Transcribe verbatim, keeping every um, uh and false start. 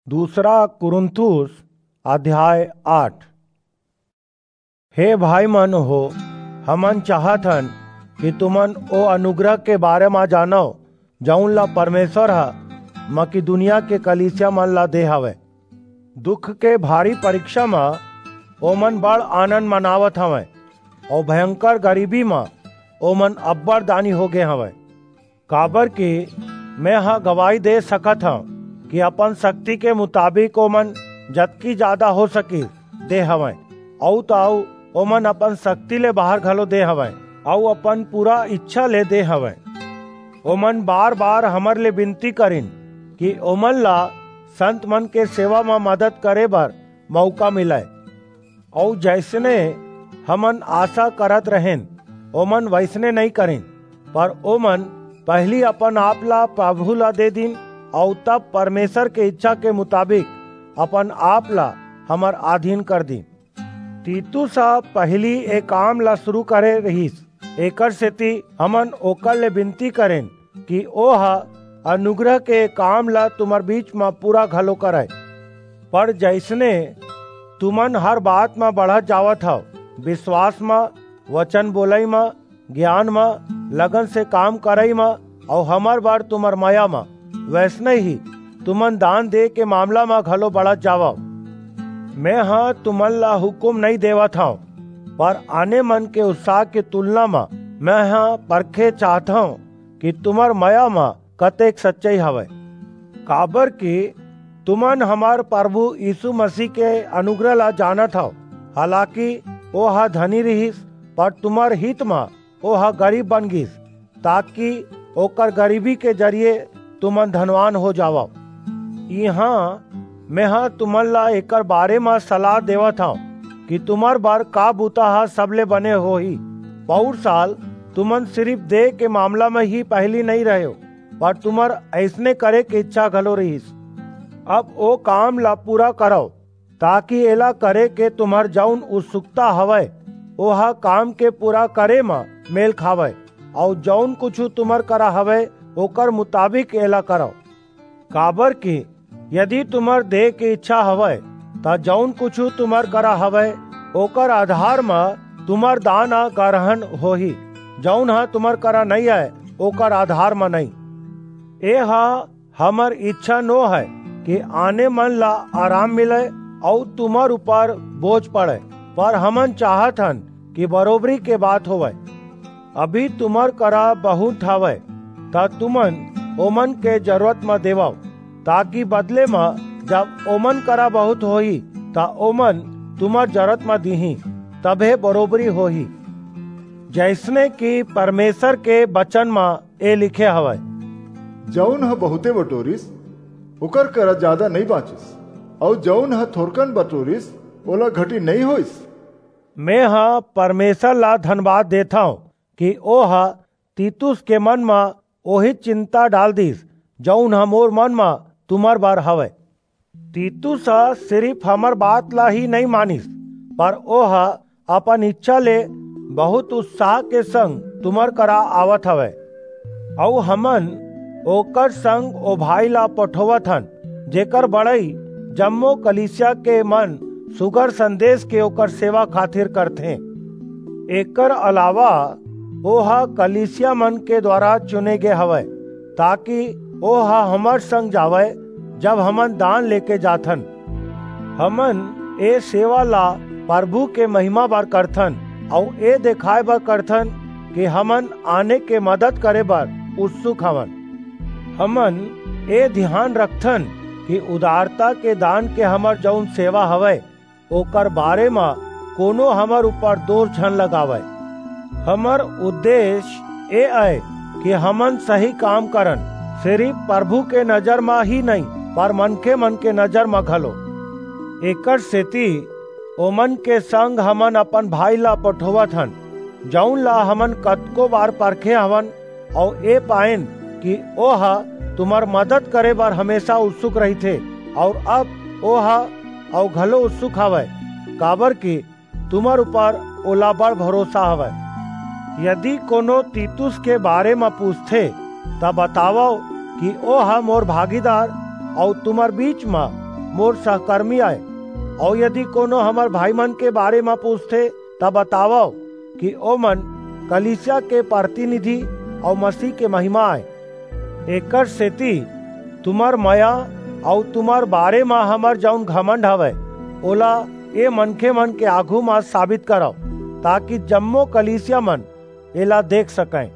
दूसरा कुरिन्थुस अध्याय आठ। हे भाई मन हो, हमन चाहत हन कि तुमन ओ अनुग्रह के बारे म जानव, जऊन ला परमेश्वर ह मकिदुनिया के कलीसिया मन ला दे हवय। दुख के भारी परीक्षा म ओमन बड़ आनंद मनावत हवंय, अऊ भयंकर गरीबी म ओमन अब्बड़ दानी हो गे हवंय। काबर कि मैं ह गवाही दे सकत हंव कि अपन शक्ति के मुताबिक ओमन जतकी जादा हो सकिस, दे हवंय, अऊ त अऊ ओमन अपन शक्ति ले बाहर घलो दे हवंय, अऊ अपन पूरा इच्छा ले दे हवंय। ओमन बार-बार हमर ले विनती करिन कि ओमन ला संत मन के सेवा म मदद करे बर मौका मिलय। अऊ जइसने हमन आशा करत रहेन, ओमन वइसने नइं करिन, पर ओमन पहिली अपन आप ला प्रभु ला दे दिन, अऊ तब परमेश्वर के इच्छा के मुताबिक अपन आप ला हमर अधीन कर दिन। तीतुस ह पहिली ए काम ला शुरू करे रिहिस, एकर सेती हमन ओकर ले विनती करेन कि ओह अनुग्रह के काम ला तुम्हर बीच म पूरा घलो करय। पर जइसने तुमन हर बात म बढ़त जावत हव, बिसवास म, वचन बोलई म, गियान म, लगन से काम करई म, अऊ हमर बर तुम्हर मया म, वइसने ही तुमन दान दे के मामला म घलो बढ़त जावव। मैं ह तुमन ला हुकूम नइं देवत हंव, पर आने मन के उत्साह के तुलना म मैं ह परखे चाहथंव कि तुम्हर मया म कतेक सच्चई हवय। काबर कि तुमन हमर प्रभु यीशु मसीह के अनुग्रह ला जानत हव, हालाकि ओह धनी रिहिस, पर तुम्हर हित म ओह गरीब बन गीस, ताकि ओकर गरीबी के जरिए तुमन धनवान हो जावव। इहां मेंह तुमन ला एकर बारे म सलाह देवत हंव कि तुम्हर बर का बुता ह सबले बने होही। पउर साल तुमन सिरिफ देय के मामला म ही पहिली नइं रहेव, पर तुम्हर अइसने करे के इच्छा घलो रिहिस। अब ओ काम ला पूरा करव, ताकि एला करे के तुम्हर जऊन उत्सुकता हवय, ओह काम के पूरा करे म मेल खावय, अऊ जऊन कुछू तुम्हर करा हवय, ओकर मुताबिक एला करव। काबर कि यदि तुम्हर देय के इच्छा हवय, त जऊन कुछू तुम्हर करा हवय, ओकर आधार म तुम्हर दान ह गरहन होही, जऊन ह तुम्हर करा नइं अय, ओकर आधार म नइं। एह हमर इच्छा नो हय कि आने मन ला आराम मिलय अऊ तुम्हर ऊपर बोझ पड़य, पर हमन चाहत हन कि बरोबरी के बात होवय। अभी तुम्हर करा बहुंत हवय, त तुमन ओमन के जरूरत म देवव, ताकि बदले म जब ओमन करा बहुंत होही, त ओमन तुम्हर जरूरत म दीहीं, तभे बरोबरी होही। जइसने कि परमेश्वर के बचन म ए लिखे हवय, "जऊन ह बहुंते बटोरिस, ओकर करा जादा नइं बांचिस, अऊ जऊन ह थोरकन बटोरिस, ओला घटी नइं होईस।" मेंह परमेश्वर ला धनबाद देथंव कि ओह तीतुस के मन म ओही चिंता डाल दीस, जऊन ह मोर मन म तुम्हर बर हवय। तीतुस ह सिरिफ हमर बात ला ही नइं मानिस, पर ओह अपन इच्छा ले बहुंत उत्साह के संग तुम्हर करा आवत हवय। अऊ हमन ओकर संग ओ भाई ला पठोवत हन, जेकर बड़ई जम्मो कलीसिया के मन सुघर संदेश के ओकर सेवा खातिर करथें। एकर अलावा ओह कलीसिया मन के द्वारा चुने गे हवय, ताकि ओह हमर संग जावय, जब हमन दान लेके जाथन। हमन ए सेवा ला प्रभु के महिमा बर करथन, अऊ ए देखाय बर करथन कि हमन आने के मदद करे बर उत्सुक हवन। हमन ए धियान रखथन कि उदारता के दान के हमर जऊन सेवा हवय, ओकर बारे म कोनो हमर ऊपर दोष झन लगावय। हमर उद्देश्य ए अय कि हमन सही काम करन, सिरिफ प्रभु के नजर म ही नइं, पर मनखे मन के नजर म घलो। एकर सेती ओमन के संग हमन अपन भाई ला पठोवत हन, जऊन ला हमन कतको बार परखे हवन, अऊ ए पाएन कि ओह तुम्हर मदद करे बर हमेशा उत्सुक रहिथे, अऊ अब ओह अऊ घलो उत्सुक हवय, काबर कि तुम्हर ऊपर ओला बड़ भरोसा हवय। यदि कोनो तीतुस के बारे म पूछथे, त बतावव कि ओह मोर भागीदार अऊ तुम्हर बीच म मोर सहकर्मी आय। अऊ यदि कोनो हमर भाईमन के बारे म पूछथे, त बतावव कि ओमन कलीसिया के प्रतिनिधि अऊ मसीह के महिमा आय। एकरसेति तुम्हर मया अऊ तुम्हर बारे म हमर जऊन घमंड हवय, ओला ए मनखेमन के आघू म साबित करव, ताकि जम्मो कलीसियामन एला देख सकंय।